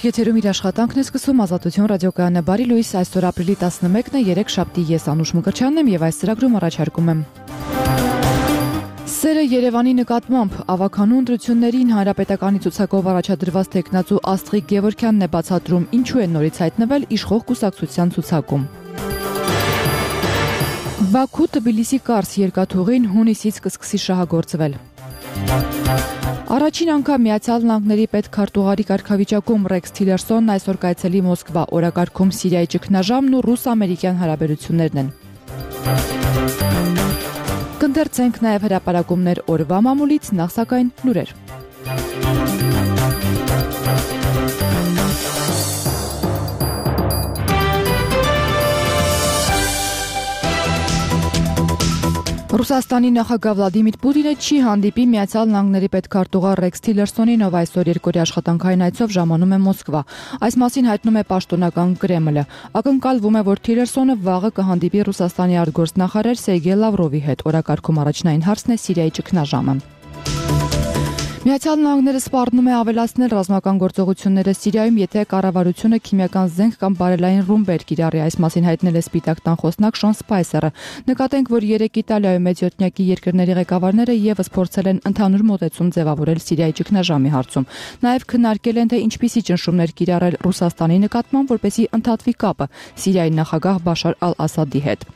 Եթերում իր աշխատանքն է սկսում Ազատություն ռադիոկայանը բարի լույս այսօր ապրիլի 11-ն է 3 շաբթի ես Անուշ Մկրտչյանն եմ եւ այս ծրագրում առաջարկում եմ Սերը Երևանի նկատմամբ ավականու ընտրություններին հանրապետականի ցուցակով առաջադրված տեխնացու Աստղիկ Գևորգյանն է բացատրում ինչու է նորից հայտնվել իշխող կուսակցության ցուցակում Բաքու Թբիլիսի Կարս երկաթուղին հունիսից կսկսի շահագործվել Առաջին անգամ Միացյալ Նահանգների պետքարտուղարի կարգավիճակում Ռեքս Թիլերսոնն այսօր կայցելի Մոսկվա, օրակարգում Սիրիայի ճգնաժամն ու ռուս-ամերիկյան հարաբերություններն են։ Կընթերցենք նաև հրապարակումներ օրվա մամուլից, նախ սակայն լուրեր։ Ռուսաստանի նախագահ Վլադիմիր Պուտինը չի հանդիպի Միացյալ Նահանգների պետքարտուղար Ռեքս Թիլերսոնին, ով այսօր երկօրյա աշխատանքային այցով ժամանում է Մոսկվա։ Այս մասին հայտնում է պաշտոնական Կրեմլը։ Ակնկալվում է, որ Թիլերսոնը վաղը կհանդիպի Ռուսաստանի արտգործնախարար Սերգեյ Լավրովի հետ։ Օրակարգում առաջնային հարցն է Սիրիայի ճգնաժամը։ Միացյալ Նահանգները սպառնում է ավելացնել ռազմական գործողությունները Սիրիայում, եթե կառավարությունը քիմիական զենք կամ բարելային ռումբեր կիրառի, այս մասին հայտնել է Սպիտակ տան խոսնակ Շոն Սպայսերը։ Նկատենք, որ 3 Իտալիայում մեծյոթնյակի երկրների ղեկավարները եւս փորձել են ընդհանուր մոտեցում ձևավորել Սիրիայի ճգնաժամի հարցում։ Նաեւ քննարկել են, թե ինչպիսի ճնշումներ կիրառել Ռուսաստանի նկատմամբ, որպեսզի ընդհատվի կապը Սիրիայի նախագահ Բաշար ալ-Ասադի հետ։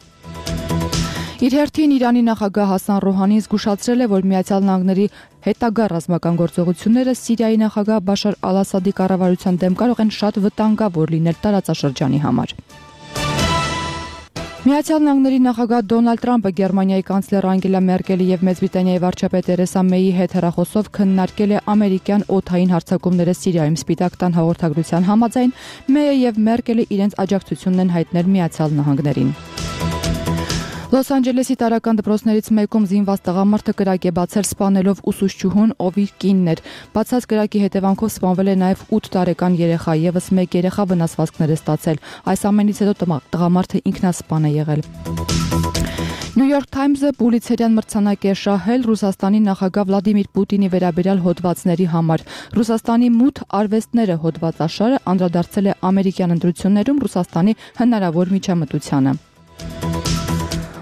Իր հերթին Իրանի նախագահ Հասան Ռոհանին զգուշացրել է, որ Միացյալ Նահանգների հետագա ռազմական գործողությունները Սիրիայի նախագահ Բաշար ալ-Ասադի կառավարության դեմ կարող են շատ վտանգավոր լինել տարածաշրջանի համար։ Միացյալ Նահանգների նախագահ Դոնալդ Թրամփը Գերմանիայի կանցլեր Անգելա Մերկելի եւ Մեծ Բրիտանիայի վարչապետ Թերեսա Մեյի հետ հեռախոսով քննարկել է ամերիկյան օդային հարձակումները Սիրիայում։ Սպիտակ տան հաղորդագրության համաձայն Մեյը եւ Մերկելը իրենց աջակցությունն են հայտնել Միացյալ Նահանգներին։ Լոս Անջելեսի տարրական դպրոցներից մեկում զինված տղամարդը կրակ է բացել սպանելով ուսուցչուհուն, ով իր կինն էր։ Բացած կրակի հետևանքով սպանվել է նաև 8 տարեկան երեխա, եւս 1 երեխա վնասվածքներ է ստացել։ Այս ամենից հետո տղամարդը ինքնասպան է եղել։ New York Times-ը Պուլիցերյան մրցանակ է շահել Ռուսաստանի նախագահ Վլադիմիր Պուտինի վերաբերյալ հոդվածների համար։ Ռուսաստանի մութ արվեստները հոդվածաշարը անդրադարձել է ամերիկյան ընտրություններում Ռուսաստանի հնարավոր միջամտությանը։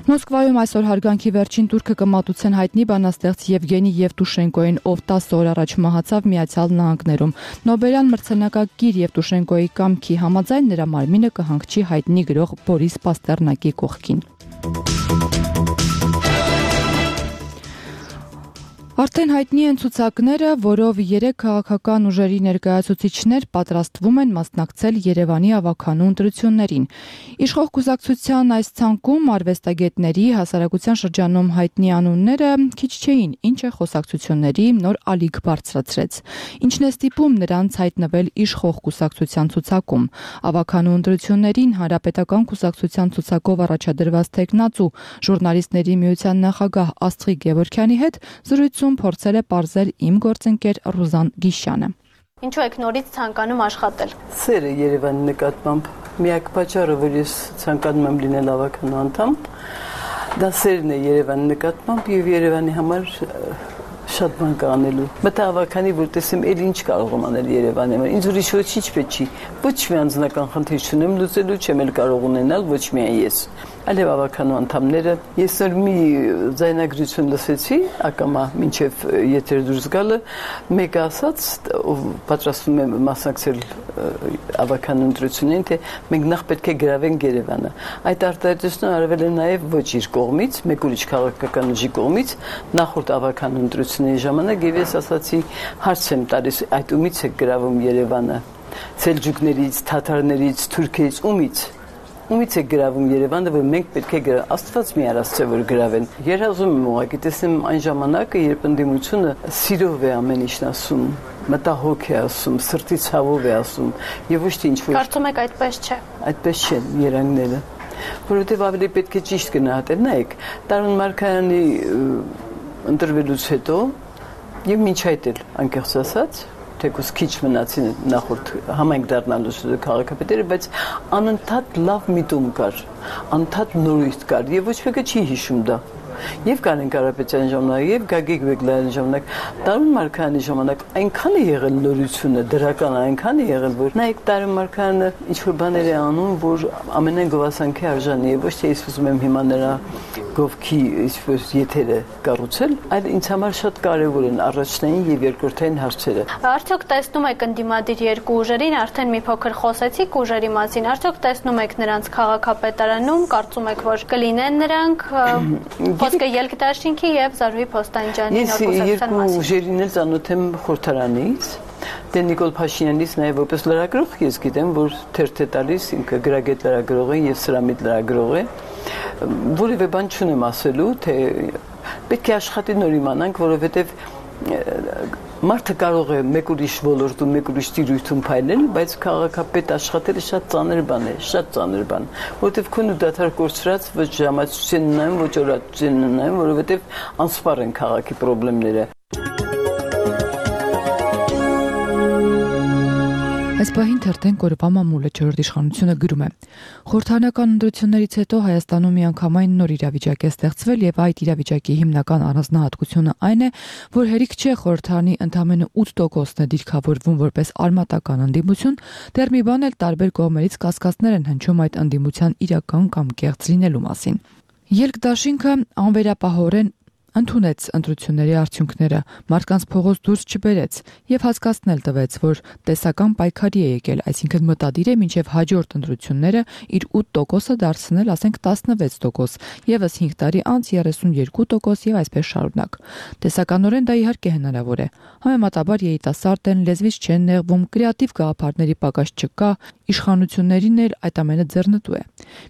Մոսկվայում այսօր հարգանքի վերջին տուրքը կմատուցեն հայտնի բանաստեղծ Եվգենի Եվտուշենկոին, ով 10 օր առաջ մահացավ Միացյալ Նահանգներում։ Նոբելյան մրցանակակիր Եվտուշենկոյի կամքի համաձայն նրա մարմինը կհանգչի հայտնի գրող Բորիս Պաստեռնակի կողքին։ Արդեն հայտնի են ցուցակները, որով 3 քաղաքական ուժերի ներկայացուցիչներ պատրաստվում են մասնակցել Երևանի ավականու ընտրություններին։ Իշխող կուսակցության այս ցանկում արվեստագետների հասարակության շրջանում հայտնի անունները քիչ չէին, ինչը խոսակցությունների նոր ալիք բարձրացրեց։ Ինչն է ստիպում նրանց հայտնվել իշխող կուսակցության ցուցակում։ Ավականու ընտրություններին հանրապետական կուսակցության ցուցակով առաջադրված տեխնացու ժուրնալիստների միության նախագահ Աստղիկ Գևորգյանի հետ զրույցում փորձել է պարզել իմ գործընկեր Ռուզան Գիշյանը։ Ինչու եք նորից ցանկանում աշխատել։ Սերը Երևանի նկատմամբ միակ պատճառը, որ ես ցանկանում եմ լինել ավականու անդամ, դա սերն է Երևանի նկատմամբ եւ Երևանի համար շատ բան կա անելու։ Մտա ավականի, որ տեսեմ էլ ինչ կարող եմ անել Երևանի համար։ Ինձ ուրիշ ոչինչ պետք չի։ Ոչ մի անձնական խնդիր չունեմ լուծելու, չեմ էլ կարող ունենալ ոչ միայն ես, այլև ավականու անդամները։ Ես նոր մի ձայնագրություն լսեցի, ակամա մինչև եթեր դուրս գալը, մեկը ասաց, ով պատրաստվում է մասնակցել ավականու ընտրություններին, թե մենք նախ պետք է գրավենք Երևանը։ Այդ արտահայտությունը արվել է նաև ոչ իր կողմից, մեկ ուրիշ քաղաքական ուժի կողմից, նախորդ ավականու ընտրությունների ժամանակ, եւ ես ասացի, հարց եմ տալիս, այդ ումից է գրավում Երևանը։ Սելջուկներից, թաթարներից, թուրքերից, ումից է գրավում Երևանը, որ մենք պետք է գրավենք։ Աստված մի արած որ գրավեն։ Երազում եմ ուղղակի տեսնեմ այն ժամանակը, երբ ընդդիմությունը սիրով է ամեն ինչն ասում, մտահոգ է ասում, սրտի ցավով է ասում, եւ ոչ թե ինչ-որ։ Կարծում եք այդպես չէ։ Այդպես չեն երանգները, որովհետեւ ավելի պետք է ճիշտ գնահատել։ Նայեք, Տարոն Մարկարյանի ընտրվելուց հետո եւ մինչ այդ էլ անկեղծ ասած թեկուզ քիչ մնացին նախորդ համայնք դառնալուց քաղաքապետերը, բայց անընդհատ լավ միտում կար, անընդհատ նորույթ կար եւ ոչ մեկը չի հիշում դա։ Եվ Կարեն Կարապետյանի ժամանակ, եւ Գագիկ Բեգլարյանի ժամանակ, Տարուն Մարկարյանի ժամանակ այնքան է եղել նորությունը, դրական այնքան է եղել, որ նայեք Տարուն Մարկարյանը ինչ որ բաներ է անում, որ ամենայն գովասանքի արժանի է, ոչ թե ես ուզում եմ հիմա նրա գովքի ինչ-որ եթերը կառուցել, այլ ինձ համար շատ կարևոր են առաջնային եւ երկրորդային հարցերը։ Արդյոք տեսնում եք ընդդիմադիր երկու ուժերին, արդեն մի փոքր խոսեցիք ուժերի մասին, արդյոք տեսնում եք նրանց քաղաքապետարանում, կարծում եք, որ կլինեն նրանք, խոսքը Ելք-Դաշինքի եւ Զարուհի Փոստանջյանի նոր կուսակցության մասին։ Երկու ուժերին էլ ծանոթ եմ խորհրդարանից, դե Նիկոլ Փաշինյանից նաեւ որպես լրագրող ես գիտեմ, որ թերթ է տալիս, ինքը գրագետ լրագրող է եւ սրամիտ լրագրող է, որևէ բան չունեմ ասելու, թե պետք է աշխատի նոր իմանանք, որովհետեւ մարդը կարող է մեկ ուրիշ ոլորտում, մեկ ուրիշ տիրույթում փայլել, բայց քաղաքապետ աշխատելը շատ ծանր բան է, շատ ծանր բան, որովհետև քո ու դադար կորցրած ոչ ժամացույցին ունեմ, ոչ օրացույցին ունեմ, որովհետև անսպառ են քաղաքի խնդիրները։ Այս պահին թերթենք օրվա մամուլը չորրորդ իշխանությունը գրում է. Խորհրդարանական ընտրություններից հետո Հայաստանում միանգամայն նոր իրավիճակ է ստեղծվել եւ այդ իրավիճակի հիմնական առանձնահատկությունը այն է, որ հերիք չէ խորհրդարանի ընդամենը 8%-ն է դիրքավորվում որպես արմատական ընդդիմություն, դեռ մի բան էլ տարբեր կողմերից կասկածներ են հնչում այդ ընդդիմության իրական կամ կեղծ լինելու մասին։ Ելք-Դաշինքը անվերապահորեն ընդունեց ընտրությունների արդյունքները, մարդկանց փողոց դուրս չբերեց եւ հասկացնել տվեց, որ տեսական պայքարի է եկել, այսինքն մտադիր է մինչեւ հաջորդ ընտրությունները իր 8%-ը դարձնել, ասենք 16%, եւս 5 տարի անց 32% եւ այսպես շարունակ։ Տեսականորեն դա իհարկե հնարավոր է։ Համեմատաբար երիտասարդ են, լեզվից չեն նեղվում, կրեատիվ գաղափարների պակաս չկա, իշխանություններին էլ այդ ամենը ձեռնտու է։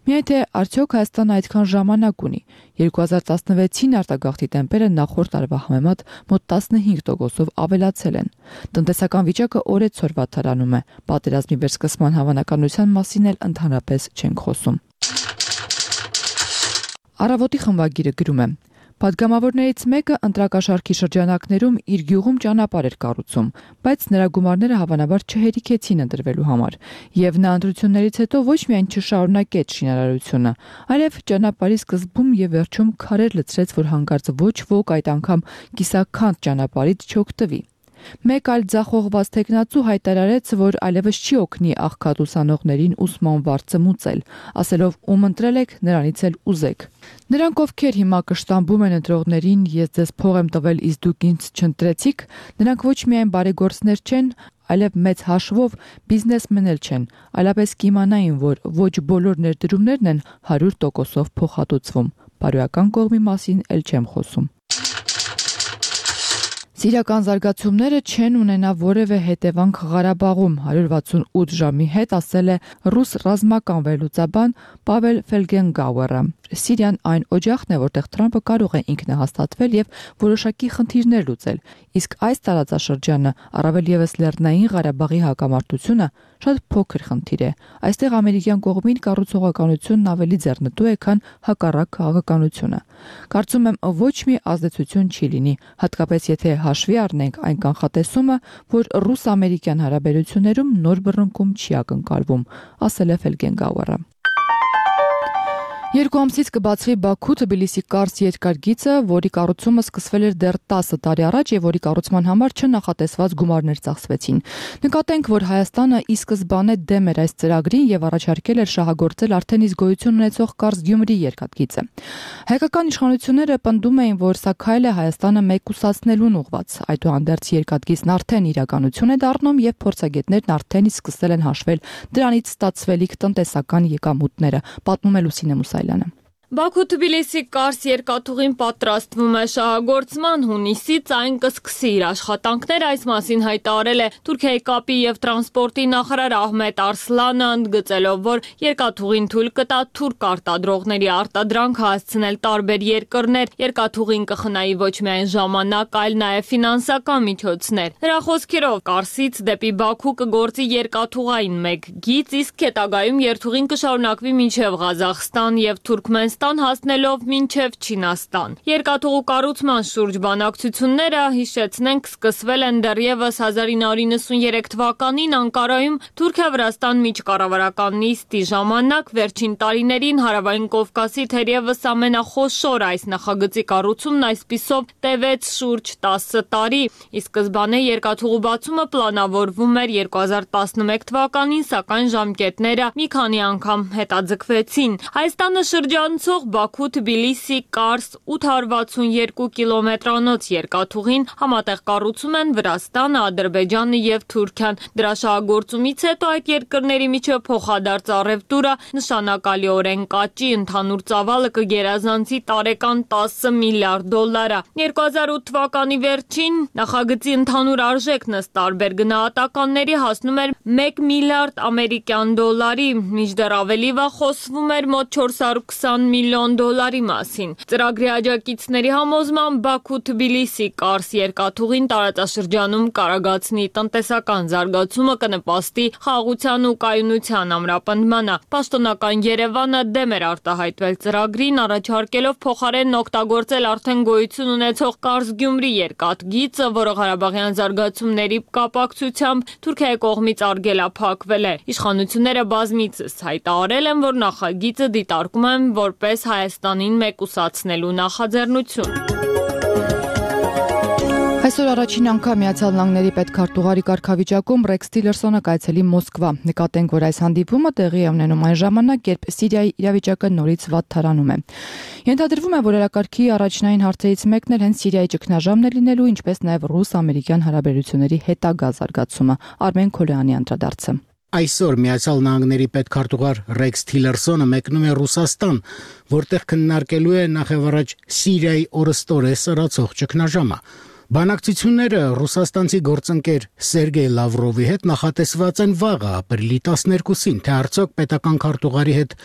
Միայն թե արդյոք Հայաստանը այդքան ժամանակ ունի։ 2016-ին արտագաղթի տեմպերը նախորդ տարվա համեմատ մոտ 15%-ով ավելացել են։ Տնտեսական վիճակը օրեցօր վատթարանում է։ Պատերազմի վերսկսման հավանականության մասին էլ ընդհանրապես չենք խոսում։ Առավոտի խմբագիրը գրում է. Պատգամավորներից մեկը ընտրակաշարքի շրջանակներում իր գյուղում ճանապարհ էր կառուցում, բայց նրա գումարները հավանաբար չհերիքեցին ընտրվելու համար, եւ նա ընտրություններից հետո ոչ միայն չշարունակեց շինարարությունը, այլև ճանապարհի սկզբում եւ վերջում քարեր լցրեց, որ հանկարծ ոչ ոք այդ անգամ կիսաքանդ ճանապարհից չօգտվի։ Մեկ այլ ձախողված տեխնացու հայտարարեց, որ այլևս չի օգնի աղքատ ուսանողներին ուսման վարձը մուծել, ասելով ում ընտրել եք, նրանից էլ ուզեք։ Նրանք, ովքեր հիմա կշտամբում են ընտրողներին, ես ձեզ փող եմ տվել, իսկ դուք ինձ չընտրեցիք, նրանք ոչ միայն բարեգործներ չեն, այլև մեծ հաշվով բիզնեսմեններ չեն, այլապես կիմանային, որ ոչ բոլոր ներդրումներն են 100%-ով փոխհատուցվում։ Բարոյական կողմի մասին էլ չեմ խոսում։ Սիրիական զարգացումները չեն ունենա որևէ հետևանք Ղարաբաղում 168 ժամի հետ, ասել է ռուս ռազմական վերլուծաբան Պավել Ֆելգենգաուերը։ Սիրիան այն օջախն է, որտեղ Թրամփը կարող է ինքնահաստատվել եւ որոշակի խնդիրներ լուծել, իսկ այս տարածաշրջանը, առավել եւս Լեռնային Ղարաբաղի հակամարտությունը, շատ փոքր խնդիր է։ Այստեղ ամերիկյան կողմին կառուցողականությունն ավելի ձեռնտու է, քան հակառակ քաղաքականությունը։ Կարծում եմ, ոչ մի ազդեցություն չի լինի, հատկապես եթե հաշվի առնենք այն կանխատեսումը, որ ռուս-ամերիկյան հարաբերություններում նոր բռնկում չի ակնկալվում, ասել է Ֆելգենգաուերը։ 2 ամսից կբացվի Բաքու-Թբիլիսի կարս երկրագիծը, որի կառուցումը սկսվել էր դեռ 10 տարի առաջ եւ որի կառուցման համար չնախատեսված գումարներ ծախսվեցին։ Նկատենք, որ Հայաստանը ի սկզբանե դեմ էր այս ծրագրին եւ առաջարկել էր շահագործել արդեն իսկ գոյություն ունեցող Կարս-Գյումրի երկաթգիծը։ Հայկական իշխանությունները պնդում էին, որ սա քայլ է Հայաստանը մեկուսացնելուն ուղղված։ Այդուհանդերձ երկաթգիծն արդեն իրականություն է դառնում եւ փորձագետներն արդեն իսկ սկսել են հաշվել դրանից ստացվելիք տնտեսական եկամուտները, պատմում է Լուսինե Մուսայելյանը։ Բաքու-Թբիլիսի կարս երկաթուղին պատրաստվում է շահագործման, հունիսից այն կսկսի իր աշխատանքները, այս մասին հայտարարել է Թուրքիայի կապի եւ տրանսպորտի նախարար Ահմեդ Արսլանը, ընդգծելով, որ երկաթուղին թույլ կտա թուրք արտադրողների արտադրանքը հասցնել տարբեր երկրներ, երկաթուղին կխնայի ոչ միայն ժամանակ, այլ նաեւ ֆինանսական միջոցներ։ Նրա խոսքերով Կարսից դեպի Բաքու կգործի երկաթուղային մեկ գիծ, իսկ հետագայում երթուղին կշարունակվի մինչեւ Ղազախստան եւ Թուրքմենստան Ռուսաստան հասնելով մինչև Չինաստան։ Երկաթուղու կառուցման շուրջ բանակցությունները, հիշեցնենք, սկսվել են դեռևս 1993 թվականին Անկարայում Թուրքիա-Վրաստան միջկառավարական նիստի ժամանակ։ Վերջին տարիներին Հարավային Կովկասի թերևս ամենախոշոր այս նախագծի կառուցումն այսպիսով տևեց շուրջ 10 տարի։ Ի սկզբանե երկաթուղու բացումը պլանավորվում էր 2011 թվականին, սակայն ժամկետները մի քանի անգամ հետաձգվեցին։ Հայաստանը շրջանցող Բաքու-Թբիլիսի-Կարս 862 կիլոմետրանոց երկաթուղին համատեղ կառուցում են Վրաստանը, Ադրբեջանը եւ Թուրքիան։ Դրա շահագործումից հետո այդ երկրների միջև փոխադարձ առևտուրը նշանակալիորեն կաճի, ընդհանուր ծավալը կգերազանցի տարեկան 10 միլիարդ դոլարը։ 2008 թվականի վերջին նախագծի ընդհանուր արժեքն ըստ տարբեր գնահատականների հասնում էր 1 միլիարդ ամերիկյան դոլարի, մինչդեռ ավելի վաղ խոսվում էր մոտ 420 միլիոն դոլարի մասին։ Ծրագրի աջակիցների համոզմամբ Բաքու-Թբիլիսի-Կարս երկաթուղին տարածաշրջանում կարագացնի տնտեսական զարգացումը, կնպաստի խաղաղության ու կայունության ամրապնդմանը։ Պաշտոնական Երևանը դեմ էր արտահայտվել ծրագրին, առաջարկելով փոխարենն օգտագործել արդեն գոյություն ունեցող Կարս-Գյումրի երկաթգիծը, որը Ղարաբաղյան զարգացումների կապակցությամբ Թուրքիայի կողմից արգելափակվել է։ Իշխանությունները բազմիցս հայտարարել են, որ նախագիծը դիտարկում են որպես Հայաստանին մեկուսացնելու նախաձեռնություն։ Այսօր առաջին անգամ Միացյալ Նահանգների պետքարտուղարի կարգավիճակում Ռեքս Թիլերսոնը կայցելի Մոսկվա։ Նկատենք, որ այս հանդիպումը տեղի է ունենում այն ժամանակ, երբ Սիրիայի իրավիճակը նորից վատթարանում է։ Ենթադրվում է, որ օրակարգի առաջնային հարցերից մեկն էլ հենց Սիրիայի ճգնաժամն է լինելու, ինչպես նաև ռուս-ամերիկյան հարաբերությունների հետագա զարգացումը։ Արմեն Քոլյանի անդրադարձը։ Այսօր Միացյալ Նահանգների պետքարտուղար Ռեքս Թիլերսոնը մեկնում է Ռուսաստան, որտեղ քննարկելու է նախևառաջ Սիրիայի օրըստօրե սրացող ճգնաժամը։ Բանակցությունները ռուսաստանցի գործընկեր Սերգեյ Լավրովի հետ նախատեսված են վաղը, ապրիլի 12-ին, թե արդյոք պետական քարտուղարի հետ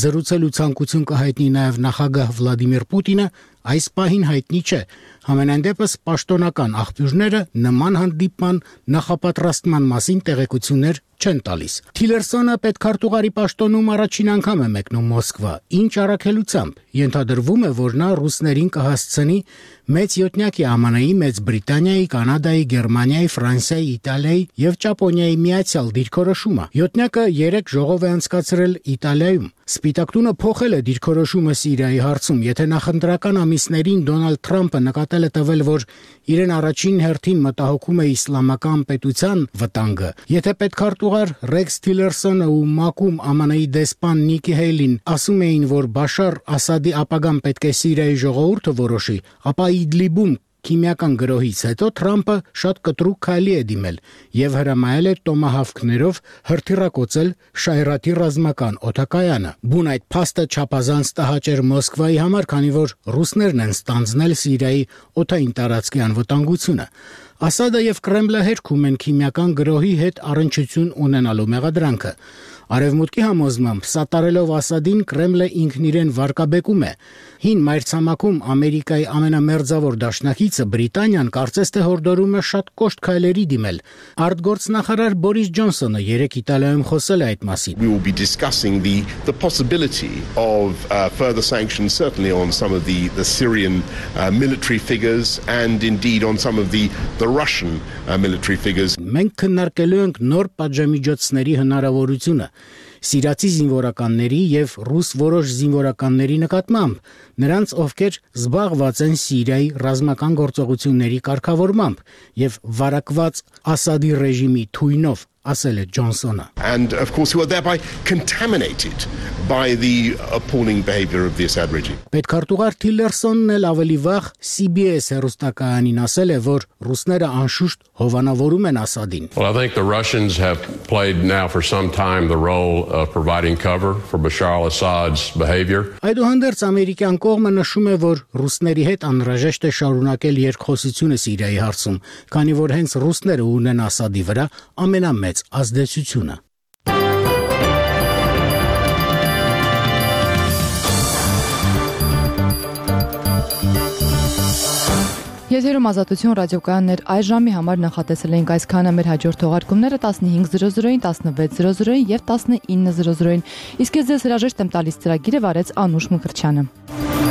զրուցելու ցանկություն կհայտնի նաև նախագահ Վլադիմիր Պուտինը, այս պահին հայտնի չէ։ Համենայն դեպս պաշտոնական աղբյուրները նման հանդիպման նախապատրաստման մասին տեղեկություններ չեն տալիս։ Թիլերսոնը պետքարտուղարի պաշտոնում առաջին անգամ է մեկնում Մոսկվա։ Ինչ առաքելությամբ։ Ենթադրվում է, որ նա ռուսներին կհասցնի մեծ յոթնյակի ԱՄՆ-ի, Մեծ Բրիտանիայի, Կանադայի, Գերմանիայի, Ֆրանսիայի, Իտալիայի եւ Ճապոնիայի միացյալ դիրքորոշումը։ Յոթնյակը 3 ժողով է անցկացրել Իտալիայում։ Սպիտակ տունը փոխել է դիրքորոշումը Սիրիայի հարցում, եթե նախընտրական ամիսներին Դոնալդ Թրամփը նկատել է տվել, որ իրեն առաջին հերթին մտահոգում է իսլամական պետության վտանգը, եթե պետքարտուղար Ռեքս Թիլերսոնը ու ՄԱԿ-ում ԱՄՆ-ի դեսպան Նիկի Հեյլին ասում էին, որ Բաշար Ասադի ապագան պետք է Սիրիայի ժողովուրդը որոշի, ապա Իդլիբում քիմիական գրոհից հետո Թրամփը շատ կտրուկ քայլի է դիմել եւ հրամայել է տոմահավքներով հրթիռակոծել Շայրատի ռազմական օդակայանը։ Բուն այդ փաստը չափազանց տհաճ էր Մոսկվայի համար, քանի որ ռուսներն են ստանձնել Սիրիայի օդային տարածքի անվտանգությունը։ Ասադը եւ Կրեմլը հերքում են քիմիական գրոհի հետ առնչություն ունենալու մեղադրանքը։ Արևմուտքի համոզմամբ սատարելով Ասադին Կրեմլը ինքն իրեն վարկաբեկում է։ Հին մայրցամաքում Ամերիկայի ամենամերձավոր դաշնակիցը Բրիտանիան կարծես թե հորդորում է շատ կոշտ քայլերի դիմել։ Արտգործնախարար Բորիս Ջոնսոնը երեկ Իտալիայում խոսել է այդ մասին։ We will be discussing the possibility of further sanctions, certainly on some of the Syrian military figures and indeed on some of the Russian military figures. Մենք քննարկելու ենք նոր պատժամիջոցների հնարավորությունը սիրիացի զինվորականների եւ ռուս որոշ զինվորականների նկատմամբ, նրանց ովքեր զբաղված են Սիրիայի ռազմական գործողությունների կարգավորմամբ եւ վարակված Ասադի ռեժիմի թույնով, ասել է Ջոնսոնը։ And of course who are thereby contaminated by the appalling behavior of the Assad regime. Պետքարտուղար Թիլերսոնն էլ ավելի վաղ CBS հեռուստակայանին ասել է, որ ռուսները անշուշտ հովանավորում են Ասադին։ Well, I think the Russians have played now for some time the role of providing cover for Bashar al-Assad's behavior. Այդուհանդերձ ամերիկյան կողմը նշում է, որ ռուսների հետ անհրաժեշտ է շարունակել երկխոսությունը Սիրիայի հարցում, քանի որ հենց ռուսները ունեն Ասադի վրա ամենամեծ ազդեցությունը։ Եթերում Ազատություն ռադիոկայաններ այս ժամի համար նախատեսել ենք այսքանը, մեր հաջորդ թողարկումները 15:00-ին, 16:00-ին եւ 19:00-ին։ Իսկ ես ձեզ հրաժեշտ եմ տալիս ծրագիրը վարեց Անուշ Մկրտչյանը։